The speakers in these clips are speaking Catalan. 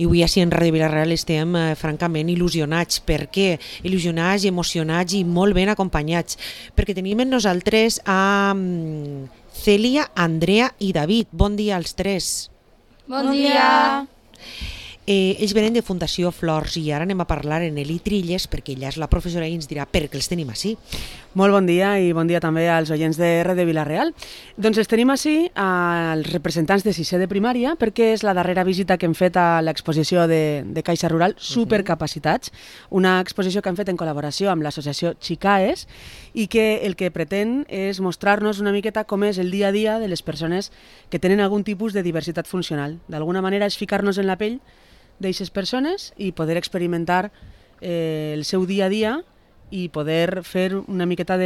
I avui així en Ràdio Vila-real estem francament il·lusionats. Per què? Il·lusionats i emocionats i molt ben acompanyats. Perquè tenim amb nosaltres a Cèlia, Andrea i David. Bon dia als tres. Bon dia. Ells venen de Fundació Flors i ara anem a parlar en Eli Trilles perquè ella és la professora i ens dirà per què els tenim així. Molt bon dia i bon dia també als oients de Ràdio Vila-real. Doncs els tenim així als representants de sisè de primària perquè és la darrera visita que hem fet a l'exposició de Caixa Rural Supercapacitats, una exposició que hem fet en col·laboració amb l'associació Xicaes i que el que pretén és mostrar-nos una miqueta com és el dia a dia de les persones que tenen algun tipus de diversitat funcional. D'alguna manera és ficar-nos en la pell d'aquestes persones i poder experimentar el seu dia a dia i poder fer una miqueta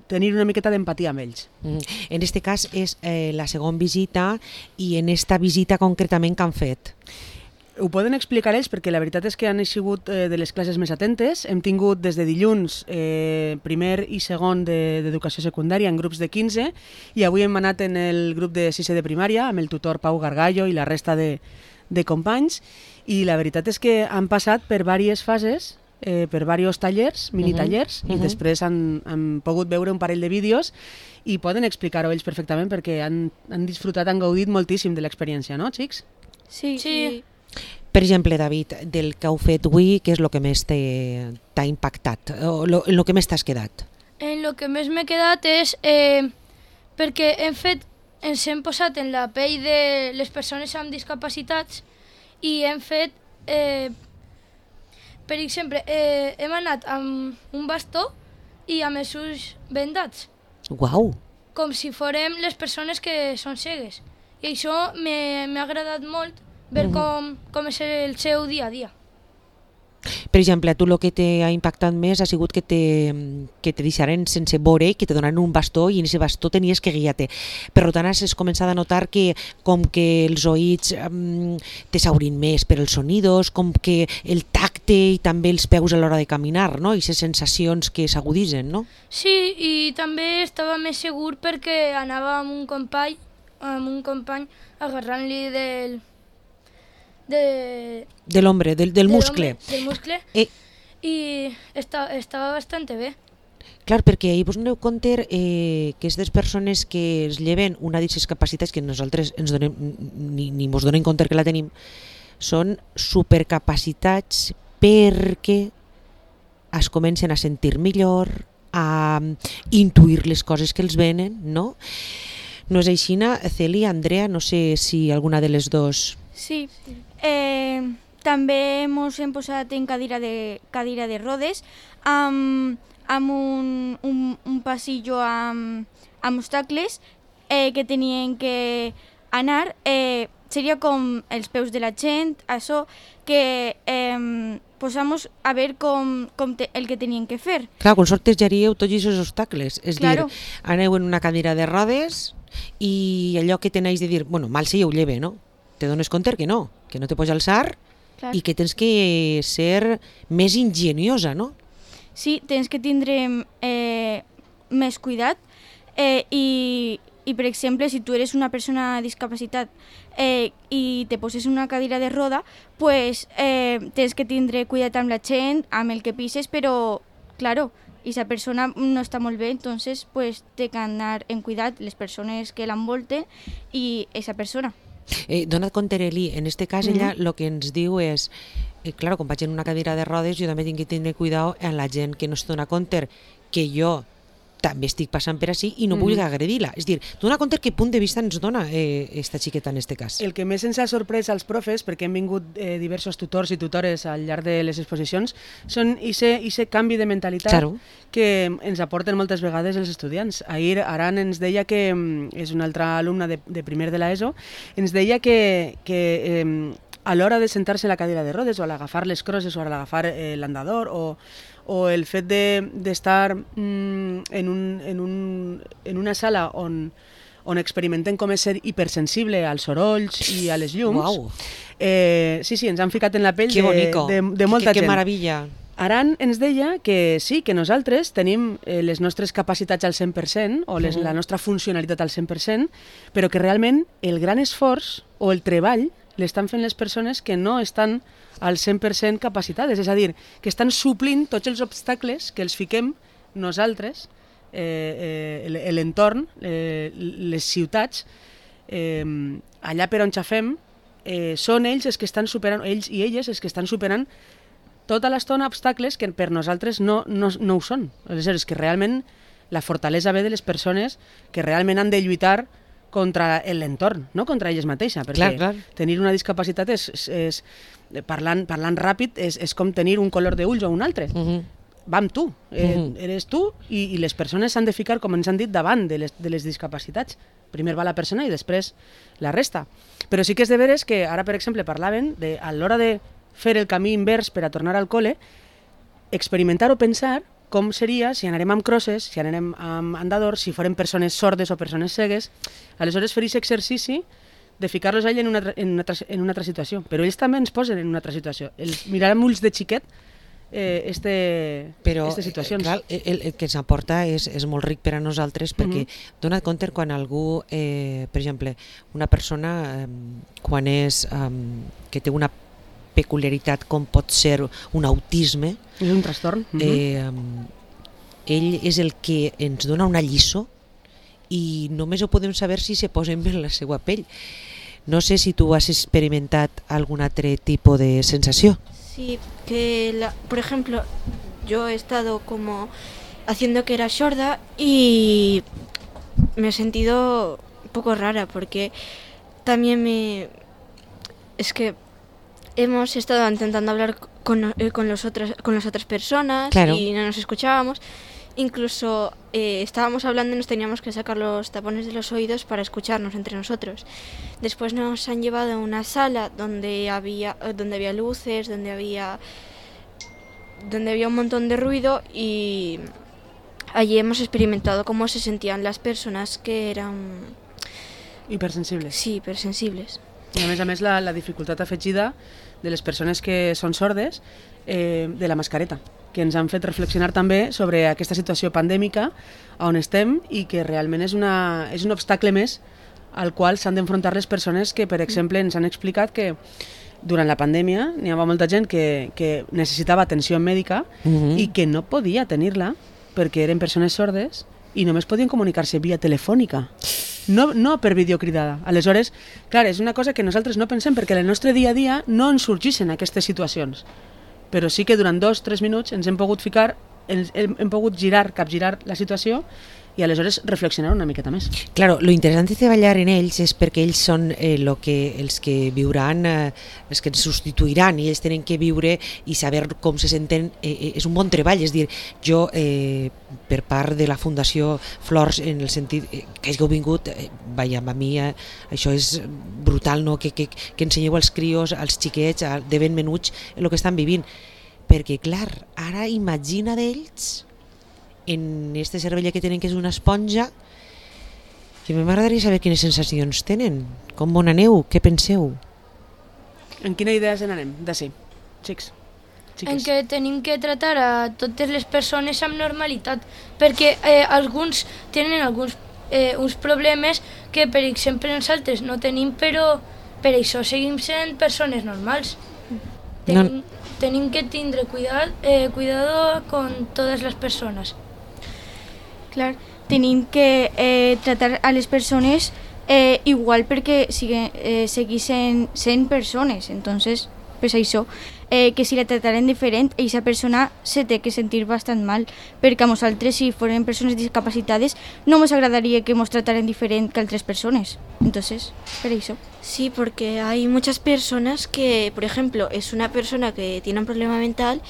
tenir una miqueta d'empatia amb ells. En aquest cas és la segona visita i en esta visita concretament què han fet? Ho poden explicar ells perquè la veritat és que han sigut de les classes més atentes. Hem tingut des de dilluns primer i segon d'educació secundària en grups de 15 i avui hem anat en el grup de sisè de primària amb el tutor Pau Gargallo i la resta de companys i la veritat és que han passat per diverses fases, per diversos tallers, minitallers i després han pogut veure un parell de vídeos i poden explicar-ho ells perfectament perquè han disfrutat, han gaudit moltíssim de l'experiència, no, xics? Sí. Per exemple, David, del que heu fet avui, què és el que més t'ha impactat? O en el que més t'has quedat? En el que més m'he quedat és perquè ens hem posat en la pell de les persones amb discapacitats i hem fet, per exemple, hem anat amb un bastó i amb els ulls vendats. Uau! Com si fórem les persones que són cegues. I això m'ha agradat molt ver com és el seu dia a dia. Per exemple, a tu el que t'ha impactat més ha sigut que te deixaren sense veure, que te donaran un bastó i en aquest bastó tenies que guiar-te. Per tant, has començat a notar que com que els oïts te s'obrin més per els sonidos, com que el tacte i també els peus a l'hora de caminar, no? I les sensacions que s'aguditzen, no? Sí, i també estava més segur perquè anava amb un company agarrant-li de l'home, del muscle. Del muscle, i estava bastant bé. Clar, perquè vos doneu compte que aquestes persones que es lleven una d'aquestes capacitats que nosaltres ni mos donem compte que la tenim, són supercapacitats perquè es comencen a sentir millor, a intuir les coses que els venen, no? No és així, Cèlia, Andrea, no sé si alguna de les dos... Sí. També ens hem posat en cadira de rodes amb un passillo amb obstacles que tenien que anar. Seria com els peus de la gent, això que posamos a veure el que tenien que fer. Clar, quan sortejaríeu tots aquests obstacles, és claro. Dir, aneu en una cadira de rodes i allò que tenéis de dir, bueno, mal se ho lleve, no? Te dones compte que no te pots alçar. Clar. I que tens que ser més ingeniosa, no? Sí, tens que tindre més cuidat i per exemple, si tu eres una persona discapacitat i te poses en una cadira de roda, pues tens que tindre cuidat amb la gent, amb el que pises, però, claro, esa persona no està molt bé, entonces pues té que anar en cuidat les persones que l'envolten i esa persona. Dona't compte, Eli, en este cas ella el que ens diu és clar, quan vaig en una cadira de rodes jo també tinc que tenir cuidado amb la gent que no es dona compte que jo també estic passant per així i no vull agredir-la. És dir, dona compte que punt de vista ens dona esta xiqueta en este cas. El que més ens ha sorprès als profes, perquè hem vingut diversos tutors i tutores al llarg de les exposicions, són aquest canvi de mentalitat claro. Que ens aporten moltes vegades els estudiants. Ahir Aran ens deia que, és una altra alumna de primer de l'ESO, ens deia que a l'hora de sentar-se a la cadira de rodes o a l'agafar les crosses o a l'agafar l'andador o el fet d'estar en una sala on experimentem com és ser hipersensible als sorolls i a les llums. Wow. Sí, ens han ficat en la pell de molta gent. Que meravella. Aran ens deia que sí, que nosaltres tenim les nostres capacitats al 100% o la nostra funcionalitat al 100%, però que realment el gran esforç o el treball l'estan fent les persones que no estan al 100% capacitades, és a dir, que estan suplint tots els obstacles que els fiquem nosaltres, l'entorn, les ciutats, allà per on xafem, són ells els que estan superant, ells i elles els que estan superant tota l'estona obstacles que per nosaltres no ho són. Aleshores, que realment la fortalesa ve de les persones que realment han de lluitar contra l'entorn, no contra elles mateixes, perquè clar. tenir una discapacitat parlant ràpid és com tenir un color d'ulls o un altre. Va amb tu, eres tu i les persones s'han de ficar, com ens han dit, davant de les discapacitats. Primer va la persona i després la resta. Però sí que és de veres que ara, per exemple, parlaven de, a l'hora de fer el camí invers per a tornar al col·le, experimentar o pensar com seria si anarem amb crosses, si anarem amb andadors, si farem persones sordes o persones cegues, aleshores fer aquest exercici de ficar-los allà en una altra situació. Però ells també ens posen en una altra situació. Els mirar amb ulls de xiquet aquestes situacions. Clar, el que ens aporta és molt ric per a nosaltres, perquè dona't compte quan algú, per exemple, una persona quan és que té una peculiaritat com pot ser un autisme, és un trastorn. Ell és el que ens dona una lliçó i només ho podem saber si se posen bé en la seva pell. No sé si tu has experimentat algun altre tipus de sensació. Sí, que por ejemplo, yo he estado como haciendo que era sorda y me he sentido un poco rara porque también es que hemos estado intentando hablar con las otras personas, claro, y no nos escuchábamos. Incluso estábamos hablando y nos teníamos que sacar los tapones de los oídos para escucharnos entre nosotros. Después nos han llevado a una sala donde había luces, donde había un montón de ruido, y allí hemos experimentado cómo se sentían las personas que eran hipersensibles. Sí, hipersensibles. I a més la dificultat afegida de les persones que són sordes, de la mascareta, que ens han fet reflexionar també sobre aquesta situació pandèmica on estem i que realment és un obstacle més al qual s'han d'enfrontar les persones que, per exemple, ens han explicat que durant la pandèmia n'hi havia molta gent que necessitava atenció mèdica i que no podia tenir-la perquè eren persones sordes i només podien comunicar-se via telefònica. No per videocridada. Aleshores, clar, és una cosa que nosaltres no pensem perquè en el nostre dia a dia no ens sorgeixen aquestes situacions. Però sí que durant 2-3 minuts ens hem pogut ficar, hem pogut capgirar la situació i aleshores reflexionar una miqueta més. Claro, lo interessant de treballar en ells és perquè ells són els que viuran, els que ens substituiran, i ells tenen que viure i saber com se senten. És un bon treball, és dir, jo per part de la Fundació Flors, en el sentit que hàgiu vingut, a mi això és brutal, no? que ensenyeu als crios, als xiquets, de ben menuts, el que estan vivint. Perquè, clar, ara imagina d'ells en este cervell que tenen, que és una esponja, que m'agradaria saber quines sensacions tenen, com on aneu, què penseu? En quina idea se n'anem? D'ací, xics. En què tenim que tratar a totes les persones amb normalitat, perquè alguns tenen uns problemes que, per exemple, nosaltres no tenim, però per això seguim sent persones normals. Tenim que tindre cuidado con todas las personas. Clar, tenim que tratar a les persones igual perquè segueixen sent persones. Entonces, pues això, que si la tratarem diferent, aquesta persona se té que sentir bastant mal, perquè a nosaltres, si foren persones discapacitades, no ens agradaria que ens trataren diferent que altres persones. Entonces, per això. Sí, porque hay muchas personas que, por ejemplo, es una persona que tiene un problema mental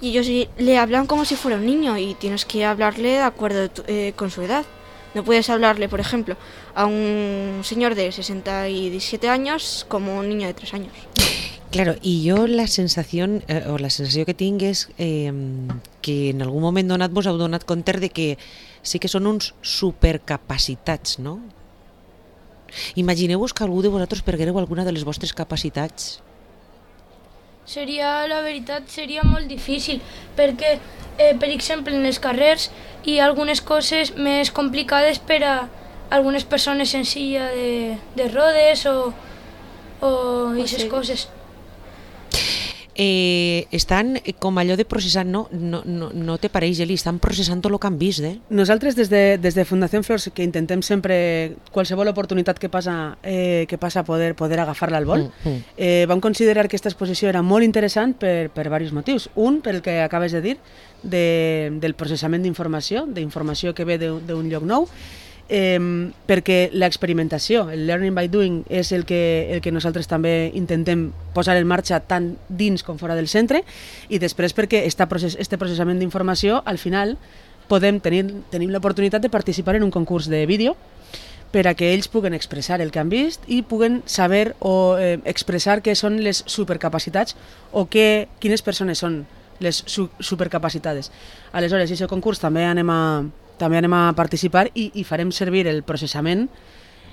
y ellos le hablan como si fuera un niño y tienes que hablarle de acuerdo con su edad. No puedes hablarle, por ejemplo, a un señor de 67 años como un niño de 3 años. Claro, i jo la sensació que tinc és que en algun moment donat vos heu donat compte de que sí que són uns supercapacitats, no? Imagineu-vos que algú de vosaltres perguereu alguna de les vostres capacitats. La veritat, seria molt difícil, perquè, per exemple, en les carrers hi ha algunes coses més complicades per a algunes persones en silla de rodes o o aquestes coses. Estan com allò de processant, no te pareix, Eli, estan processant tot el que han vist, Nosaltres des de Fundació Flors, que intentem sempre qualsevol oportunitat que passa poder agafar-la al vol, vam considerar que aquesta exposició era molt interessant per diversos motius. Un, per el que acabes de dir, del processament d'informació que ve d'un lloc nou, perquè l'experimentació, el learning by doing, és el que nosaltres també intentem posar en marxa tant dins com fora del centre, i després perquè este processament d'informació, al final tenim l'oportunitat de participar en un concurs de vídeo per a que ells puguen expressar el que han vist i puguen saber o expressar què són les supercapacitats o quines persones són les supercapacitades. Aleshores, en aquest concurs també anem a participar i farem servir el processament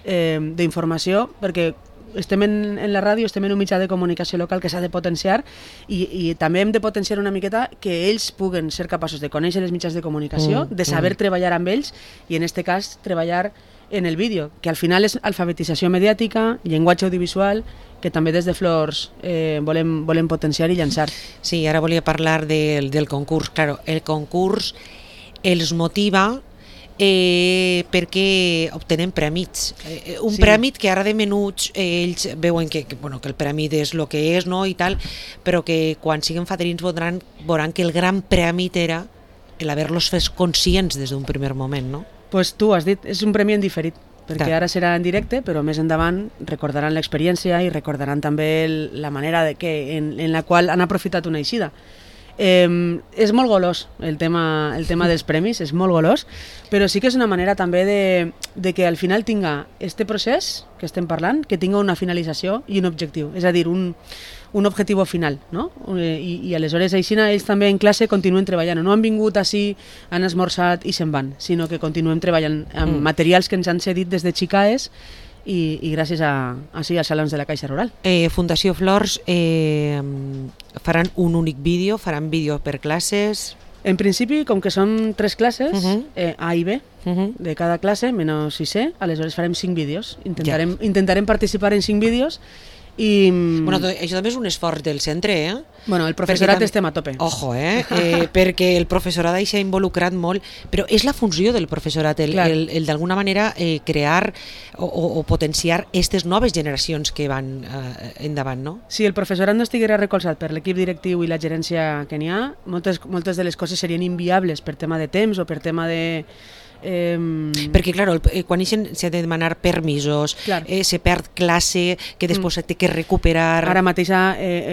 d'informació, perquè estem en la ràdio, estem en un mitjà de comunicació local que s'ha de potenciar i també hem de potenciar una miqueta que ells puguen ser capaços de conèixer els mitjans de comunicació, de saber treballar amb ells i en aquest cas treballar en el vídeo, que al final és alfabetització mediàtica, llenguatge audiovisual, que també des de Flors volem potenciar i llançar. Sí, ara volia parlar del concurs. Claro, el concurs els motiva perquè obtenen prèmits. Un prèmit que ara de menuts ells veuen que el prèmit és el que és, no, i tal, però que quan siguin fadrins veuran que el gran prèmit era l'haver-los fet conscients des d'un primer moment, no? Pues tu has dit, és un premi en diferit, perquè ara serà en directe, però més endavant recordaran l'experiència i recordaran també la manera en la qual han aprofitat una eixida. És molt golós el tema dels premis, és molt golós, però sí que és una manera també de que al final tinga este procés que estem parlant, que tinga una finalització i un objectiu, és a dir, un objectiu final, no? I aleshores així ells també en classe continuen treballant, no han vingut així, han esmorzat i se'n van, sinó que continuem treballant amb materials que ens han cedit des de Xicaes i gràcies als salons de la Caixa Rural. Fundació Flors faran un únic vídeo, faran vídeo per classes? En principi, com que són 3 classes, A i B, de cada classe, menys 6è, aleshores farem 5 vídeos. Intentarem participar en 5 vídeos i... Bueno, això també és un esforç del centre, Bueno, el professorat estem a tope. Ojo, perquè el professorat s'ha involucrat molt, però és la funció del professorat, el d'alguna manera crear o potenciar aquestes noves generacions que van endavant, no? Si el professorat no estiguera recolzat per l'equip directiu i la gerència que n'hi ha, moltes de les coses serien inviables per tema de temps o per tema de... Perquè clar, quan s'ha de demanar permisos, se perd classe, que després s'ha de recuperar. Ara mateix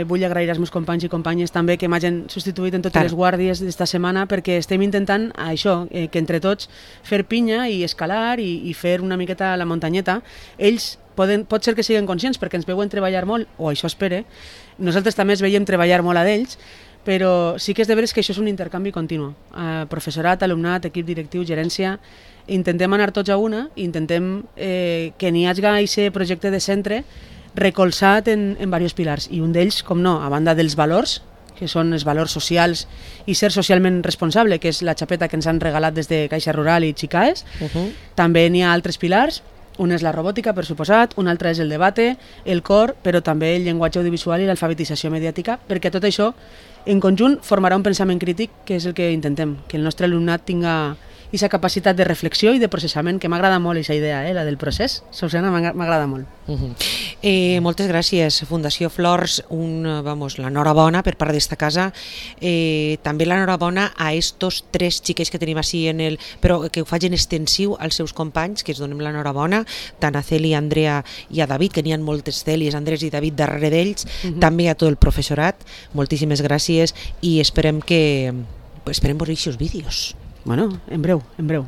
vull agrair als meus companys i companyes també que m'hagin substituït en totes les guàrdies d'esta setmana, perquè estem intentant això, que entre tots fer pinya i escalar i fer una miqueta la muntanyeta. Ells pot ser que siguin conscients perquè ens veuen treballar molt, o això espere, nosaltres també es veiem treballar molt a d'ells, però sí que és de veres que això és un intercanvi continu. Professorat, alumnat, equip directiu, gerència, intentem anar tots a una, intentem que n'hi hagi aquest projecte de centre recolzat en diversos pilars, i un d'ells, com no, a banda dels valors, que són els valors socials i ser socialment responsable, que és la xapeta que ens han regalat des de Caixa Rural i Xicaes, també n'hi ha altres pilars. Un és la robòtica, per suposat, un altre és el debate, el cor, però també el llenguatge audiovisual i l'alfabetització mediàtica, perquè tot això en conjunt formarà un pensament crític, que és el que intentem, que el nostre alumnat tinga aquesta capacitat de reflexió i de processament, que m'agrada molt aquesta idea, la del procés. Susana, m'agrada molt. Moltes gràcies, Fundació Flors, l'enhorabona per part d'esta casa, també l'enhorabona a estos 3 xiquets que tenim així, però que ho facin extensiu als seus companys, que es donem l'enhorabona, tant a Celi, a Andrea i a David, que n'hi ha moltes Celis, Andrés i David darrere d'ells, també a tot el professorat, moltíssimes gràcies i esperem veure aquests vídeos. Bueno, en breu.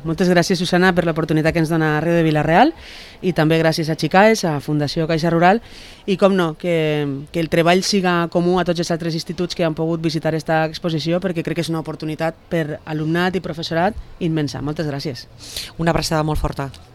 Moltes gràcies, Susana, per l'oportunitat que ens dona Ràdio de Vila-real, i també gràcies a Xicaes, a Fundació Caixa Rural, i com no, que el treball siga comú a tots els altres instituts que han pogut visitar aquesta exposició, perquè crec que és una oportunitat per alumnat i professorat immensa. Moltes gràcies. Una abraçada molt forta.